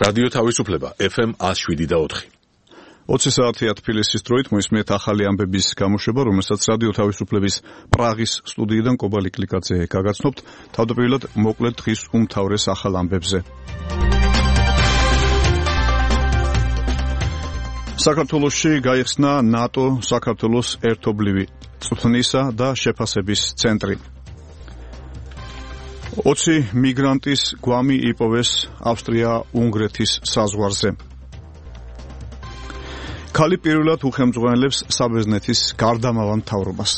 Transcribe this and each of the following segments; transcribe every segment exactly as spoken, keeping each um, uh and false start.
რადიო თავისუფლება ეფ ემ one oh seven და four. ოცი საათია თბილისის დროით მოისმენთ ახალი ამბების გამოშვება, რომელსაც რადიო თავისუფლების პრაღის სტუდიიდან კობალი კლიკაძე გაგაცნობთ. თავდაპირველად მოკლედ დღის უმთავრეს ახალ ამბებზე. საქართველოში გაიხსნა ნატო საქართველოს ერთობლივი წვრთნისა და შეფასების ცენტრი. ოცი მიგრანტის გვამი იპოვეს ავსტრია-უნგრეთის საზღვარზე. ქალი პირველად უხელმძღვანელებს საბერძნეთის გარდამავალ მთავრობას.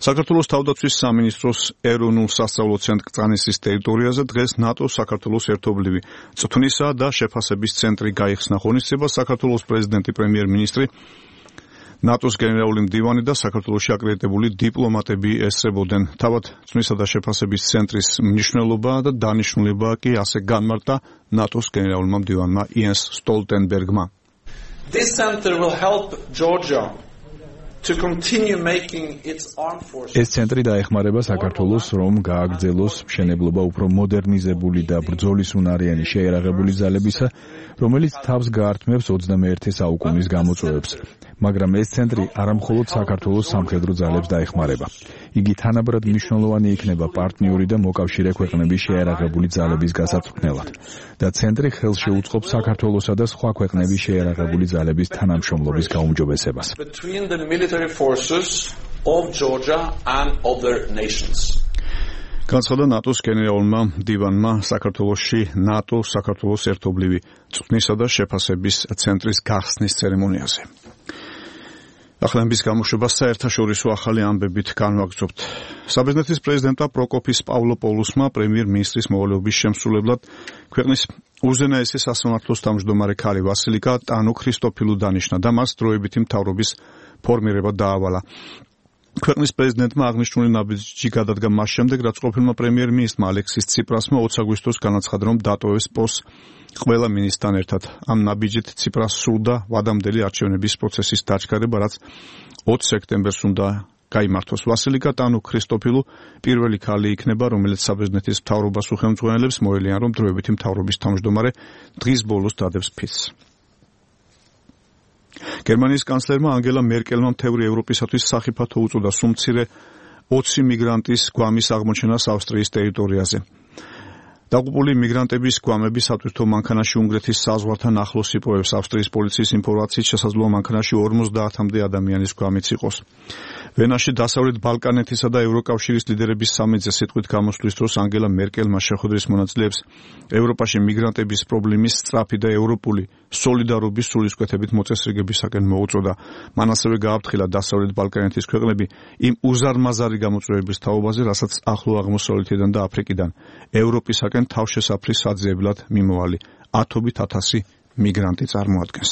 საქართველოს თავდაცვის სამინისტროს ეროვნულ სასწავლო ცენტრ კრწანისის ტერიტორიაზე დღეს ნატო საქართველოს ერთობლივი წვრთნისა და შეფასების ცენტრი გაიხსნა. ღონისძიებას საქართველოს პრეზიდენტი, პრემიერ-მინისტრი, ნატოს გენერალური მდივანი და საქართველოში აკრედიტებული დიპლომატები ესწრებოდნენ. თავად წვრთნისა და შეფასების ცენტრის მნიშვნელობა და დანიშნულება კი ასე განმარტა ნატოს გენერალურმა მდივანმა იენს სტოლტენბერგმა. This center will help Georgia to continue making its armed forces. ეს ცენტრი დაეხმარება საქართველოს, რომ გააგრძელოს მშენებლობა უფრო მოდერნიზებული და ბრძოლის უნარიანი შეიარაღებული ძალებისა, რომელიც თავს გაართმევს ოცდამეერთე საუკუნის გამოწვევებს. მაგრამ ეს ცენტრი არამხოლოდ საქართველოს სამხედრო ძალებს დაეხმარება. იგი თანაბრად მნიშვნელოვანი იქნება პარტნიორი და მოკავშირე ქვეყნების შეიარაღებული ძალების გასაწვრთნელად და ცენტრი ხელს შეუწყობს საქართველოსა და სხვა ქვეყნების შეიარაღებული ძალების თანამშრომლობის გაუმჯობესებას. Between the military forces of Georgia and other nations. განცხადა ნატოს გენერალურმა მდივანმა საქართველოში ნატო საქართველოს ერთობლივი წვრთნისა და შეფასების ცენტრის გახსნის ცერემონიაზე. ახალების გამოშვება საერთაშორისო ახალი ამბებით განვაგრძობთ. საბერძნეთის პრეზიდენტმა პროკოფის პავლოპოლუსმა პრემიერ-მინისტრის მოვალეობის შემსრულებლად ქვეყნის უზენაესი სასამართლოს თავმჯდომარე ქალი ვასილიკა ტანო ქრისტოფილუ დანიშნა და მას დროებითი მთავრობის ფორმირება დაავალა. ქვეყნის პრეზიდენტმა აღნიშნული ნაბიჯი გადადგა მას შემდეგ, რაც ყოფილმა პრემიერ-მინისტრმა ალექსის ციპრასმა ოც აგვისტოს განაცხადა, რომ დატოვებს პოსტს ყველა მინისტრთან ერთად. ამ ნაბიჯით ციპრას სურდა ვადამდელი არჩევნების პროცესის დაჩქარება, რაც ოც სექტემბერს უნდა გაიმართოს. ვასილიკა ტანო ქრისტოფილუ პირველი ქალი იქნება, რომელიც საბერძნეთის მთავრობას უხელმძღვანელებს, მოელიან, რომ დროებითი მთავრობის თავმჯდომარე დღის ბოლოს დადებს ფიცს. გერმანიის კანცლერმა ანგელა მერკელმა მთევრი ევროპისათვის სახიფათო უწოდა სუმცირე ოცი მიგრანტის გვამის აღმოჩენას ავსტრიის ტერიტორიაზე. დაღუპული მიგრანტების გვამები სატვირთო მანქანაში უნგრეთის საზღვართან ახლოს იპოვებს. ავსტრიის პოლიციის ინფორმაციით შესაძლოა მანქანაში ორმოცდაათამდე ადამიანის გვამიც იყოს. ვენაში დასავლეთ ბალკანეთისა და ევროკავშირის ლიდერების სამედზე სიტყვით გამოსვლის დროს ანგელა მერკელმა შეხვედრის მონაწილეებს ევროპაში მიგრანტების პრობლემის სწრაფი და ევროპული სოლიდარობის სულისკვეთებით მოწესრიგებისაკენ მოუწოდა. მან ასევე გააფრთხილა დასავლეთ ბალკანეთის ქვეყნები იმ უზარმაზარი გამოწვევების თაობაზე, რასაც ახლო აღმოსავლეთიდან და აფრიკიდან ევროპისაკენ თავშესაფრის საძიებლად მიმოვალი ათობით ათასი მიგრანტი წარმოადგენს.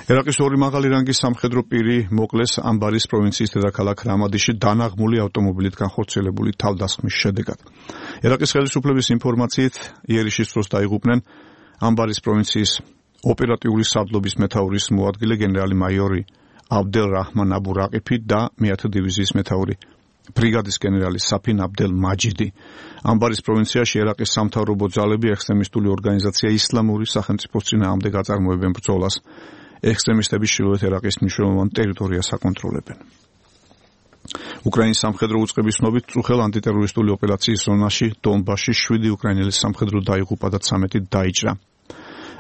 ერაყის ორი მაღალი რანგის სამხედრო პირი მოკლეს ამბარის პროვინციის დედაქალაქ რამადიში დანაღმული ავტომობილით განხორციელებული თავდასხმის შედეგად. ერაყის ხელისუფლების ინფორმაციით იერიშის დროს დაიღუპნენ ამბარის პროვინციის ოპერატიული სარდლობის მეთაურის მოადგილე გენერალი მაიორი აბდელ რაჰმან აბუ რაყიფი და მეათე დივიზიის მეთაური ბრიგადის გენერალი საფინ აბდელ მაჯიდი. ამბარის პროვინციაში ერაყის სამთავრობო ძალები ექსტრემისტული ორგანიზაცია ისლამური სახელმწიფოს წინააღმდეგ აწარმოებენ ბრძოლას. ექსტრემისტები ჩრდილოეთ ერაყის მნიშვნელოვან ტერიტორიას აკონტროლებენ. უკრაინის სამხედრო უწყების ცნობით წუხელ ანტიტერორისტული ოპერაციის ზონაში დონბასში შვიდი უკრაინელი სამხედრო დაიღუპა და ცამეტი დაიჭრა.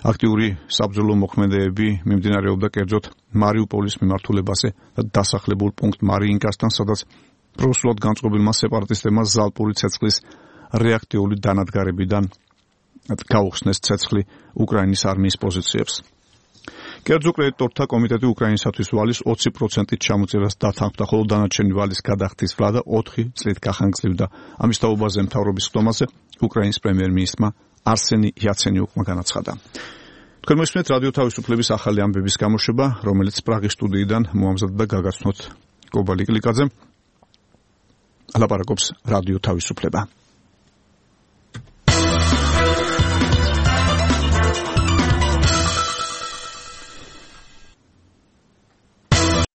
აქტიური საბრძოლო მოქმედებები მიმდინარეობდა კერძოდ მარიუპოლის მიმართულებაზე და დასახლებულ პუნქტ მარიინკასთან, სადაც პროსულად განწყობილმა სეპარატისტებმა ზალპური ცეცხლის რეაქტიული დანადგარებიდან გაუხსნეს ცეცხლი უკრაინის არმიის პოზიციებს. კერძო კრედიტორთა კომიტეტი უკრაინისათვის ვალის ოცი პროცენტით ჩამოწერას დათანხმდა, ხოლო დანარჩენი ვალის გადახდის ვლადა ოთხი წლით გახანგრძლივდა. ამის თაობაზე მთავრობის ხდომაზე უკრაინის პრემიერ-მინისტრმა არსენი იაცენიუკმა განაცხადა. თქვენ მოსმენთ რადიო თავისუფლების ახალი ამბების გამოშვება, რომელიც პრაღის სტუდიიდან მოამზადდა და გაგაცნოთ კობალი კლიკაძე. ლაპარაკობს რადიო თავისუფლება.